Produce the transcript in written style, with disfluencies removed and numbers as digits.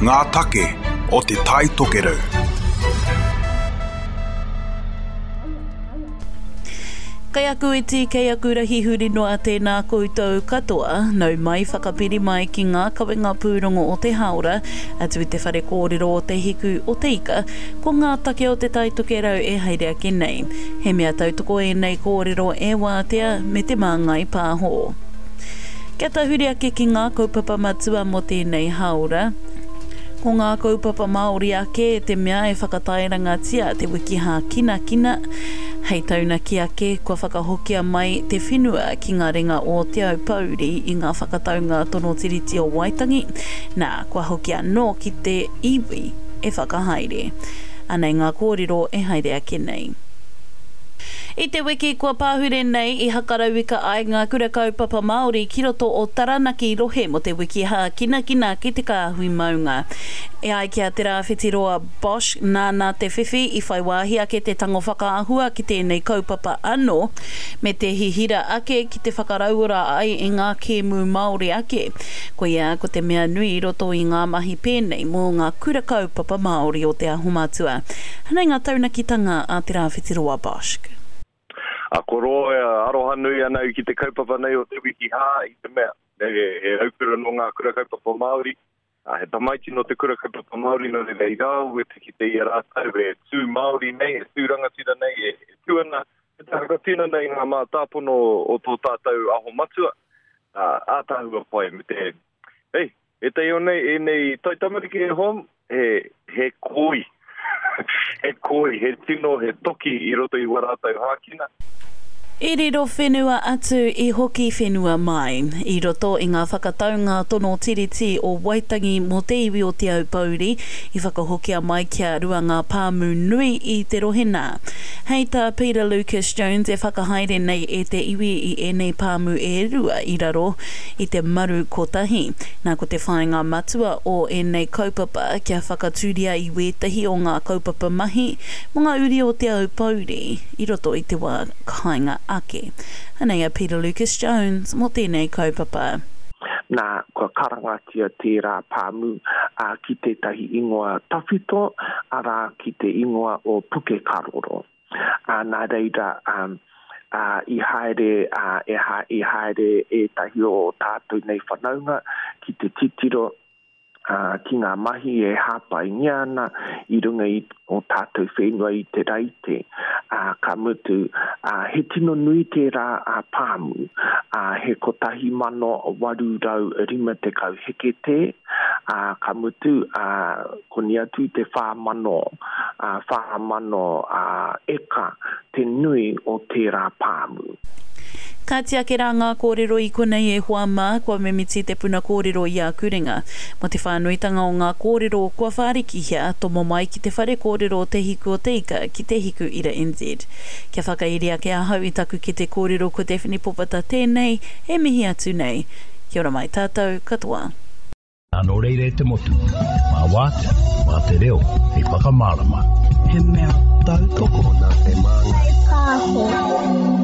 Ngā take o Te Tai Tokerau. Kei aku iti, kei aku rahi huri noa tēnā koutou katoa, nau mai whakapiri mai ki ngā kawenga pūrongo o te hāora, atu i te whare kōrero o Te Hiku o Te Ika, ko ngā take o Te Tai Tokerau e haere ake nei. He mea tautoko ēnei kōrero e Wātea me Te Māngai Pāho. Kia tahuri ake ki ngā kaupapa matua mō tēnei hāora. Ko ngā kaupapa Māori ake te mea e whakatairangatia te wiki hākinakina. Hei taunaki ake, kua whakahokia mai te whenua ki ngā ringa o Te Aupōuri i ngā whakataunga tono Tiriti o Waitangi, nā, kua hoki anō ki te iwi e whakahaere. Anei ngā kōrero e haere ake nei. I te wiki kua pahure nei i hakarauika ai ngā kura kaupapa Māori ki roto o Taranaki rohe mō te wiki hākinakina ki te kāhui maunga. E ai ki a Te Rāwhitiroa Bosch nāna te whiwhi i whai wāhi ake te tango whakaahua ki tēnei kaupapa anō, me te hihira ake ki te whakarauora ai i ngā kēmu Māori ake. Koia ko te mea nui i roto i ngā mahi pēnei mō ngā kura kaupapa Māori o Te Aho Matua. Anei ngā taunakitanga a Te Rāwhitiroa Bosch. A koro e aroha nui ana au ki te kaupapa nei o Te Wiki Hā i te mea he raukura nō ngā kura kaupapa Māori, he tamaiti nō te kura kaupapa Māori nō reira i rāua te kite i a rātou e tū Māori nei, e tū rangatira nei, e tū ana, e te whakatinana i ngā mātāpono o tō tātou aho matua, ātaahua pai me te, hei, Ētahi o nei, ēnei taitamariki e hoa, he, he koi. he koi, he tino, he toki i roto i wā rātou hākina. I riro whenua atu, i hoki whenua mai. I roto i ngā whakataunga tono tiriti o Waitangi mō te iwi o Te Aupōuri, i whakahokia mai kia rua ngā pāmu nui i te rohe nā. Hei tā Peter Lucas Jones e whakahaere nei e te iwi i ēnei pāmu e rua i raro i te maru kotahi. Nā ko te whāinga matua o ēnei kaupapa kia whakatūria i wētahi o ngā kaupapa mahi mō ngā uri o Te Aupōuri i roto i te wā kāinga ake. Anei a Peter Lucas Jones mō tēnei kaupapa. Nā, kua karangatia tērā pāmu ki tētahi ingoa tawhito, arā, ki te ingoa o Pukekaroro. Ā, nā reira, ā, ā, i haere, ā, e ha, i haere ētahi o tātou nei whanaunga ki te titiro, ā, ki ngā mahi e hāpaingia ana i runga i ō tātou whenua i te raite, ā, ka mutu, ā, he tino nui tērā ā pāmu, ā, he 1850 heketē, ā, ka mutu, ā, koni atu i te 4,000, ā, 4,000, ā, eka te nui o tērā pāmu. Kāti ake rā ngā kōrero i konei e hoa mā, kua mimiti te puna kōrero i aku ringa. Mō te whānuitanga o ngā kōrero kua whārikihia, tomo mai ki te whare kōrero o Te Hiku o Te Ika ki Te Hiku Ira NZ. Kia whakairi ake ahau i taku kete kōrero ko Daphne Popata tēnei e mihi atu nei. Kia ora mai tātou katoa. Nō reira e te motu, mā Wātea, mā te reo hei whakamārama. He mea tautoko nā Te Māngai Pāho.